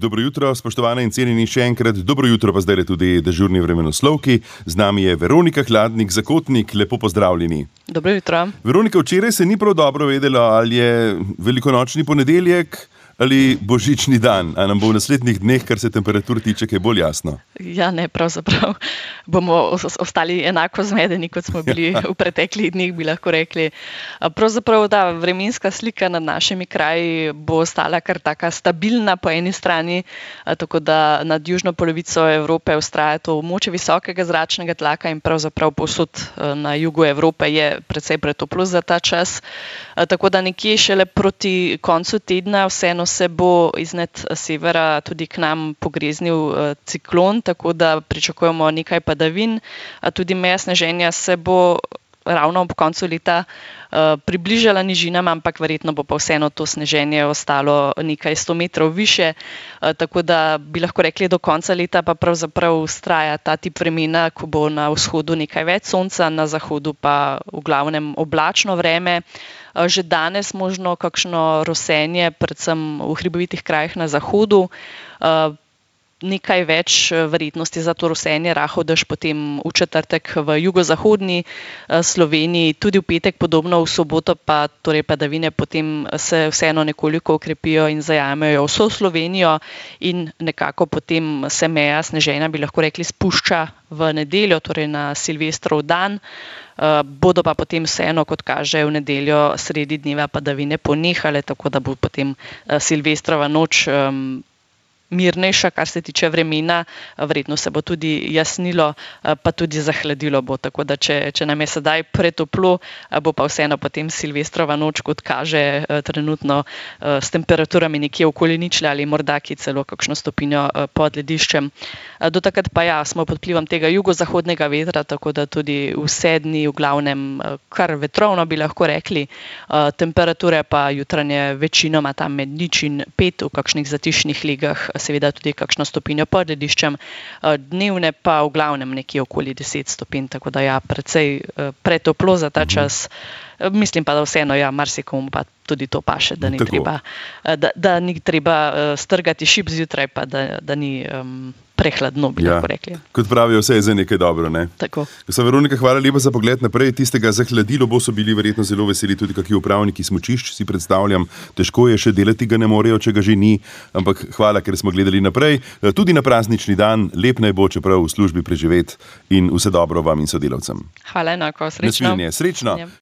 Dobro jutro, spoštovane in cenjeni, še enkrat dobro jutro, pa zdaj je tudi dežurni vremenoslovki. Z nami je Veronika Hladnik, Zakotnik, lepo pozdravljeni. Dobro jutro. Veronika, včeraj se ni prav dobro vedelo, ali je velikonočni ponedeljek ali božični dan, a nam bo v naslednjih dneh, kar se temperatur tiče, kaj bolj jasno. Ja, ne, pravzaprav bomo ostali enako zmedeni, kot smo bili v preteklih dneh, bi lahko rekli. Pravzaprav ta vremenska slika nad našimi kraji bo ostala kar taka stabilna po eni strani, tako da nad južno polovico Evrope vztraja to območje visokega zračnega tlaka in pravzaprav povsod na jugu Evrope je precej pretoplo za ta čas. Tako da nekje šele proti koncu tedna vseeno se bo iznad severa tudi k nam pogreznil ciklon, tako da pričakujemo nekaj padavin. Tudi meja sneženja se bo ravno ob koncu leta približala nižinam, ampak verjetno bo pa vseeno to sneženje ostalo nekaj 100 metrov više, tako da bi lahko rekli do konca leta pa pravzaprav vztraja ta tip vremena, ko bo na vzhodu nekaj več sonca, na zahodu pa v glavnem oblačno vreme. Že danes možno kakšno rosenje, predvsem v hribovitih krajih na zahodu. Nekaj več verjetnosti za to rosenje, rahel dež potem v četrtek v jugozahodni Sloveniji, tudi v petek podobno, v soboto pa torej padavine potem se vseeno nekoliko okrepijo in zajamejo vso Slovenijo in nekako potem se meja sneženja, bi lahko rekli, spušča v nedeljo, torej na Silvestrov dan. Bodo pa potem vseeno, kot kaže, v nedeljo sredi dneva padavine ponehale, tako da bo potem Silvestrova noč mirnejša, kar se tiče vremena, verjetno se bo tudi jasnilo, pa tudi zahladilo bo, tako da če nam je sedaj pretoplo, bo pa vseeno potem Silvestrova noč, kot kaže, trenutno s temperaturami nekje okoli ničle ali morda ki celo kakšno stopinjo pod lediščem. Do takrat pa ja, smo pod vplivom tega jugozahodnega vetra, tako da tudi vse dni v glavnem kar vetrovno, bi lahko rekli. Temperature pa jutranje večinoma tam med 0 in 5, v kakšnih zatišnih legah seveda tudi kakšno stopinjo pod lediščem, dnevne pa v glavnem nekje okoli 10 stopinj, tako da ja, precej pretoplo za ta čas. Mislim pa, da vseeno, ja, marsikomu pa tudi to paše, da ni treba strgati šip zjutraj, pa da ni prehladno, bi lahko rekli. Kot pravijo, vse je za nekaj dobro, ne? Tako. Veronika, hvala lepa za pogled naprej. Tistega zahladilo bo, so bili verjetno zelo veseli tudi kakšni upravniki smučišč, si predstavljam. Težko je še delati, ga ne morejo, če ga že ni, ampak hvala, ker smo gledali naprej. Tudi na praznični dan, lep naj bo, čeprav v službi preživeti in vse dobro vam in sodelavcem. Hvala enako, srečno. Srečno. Ja.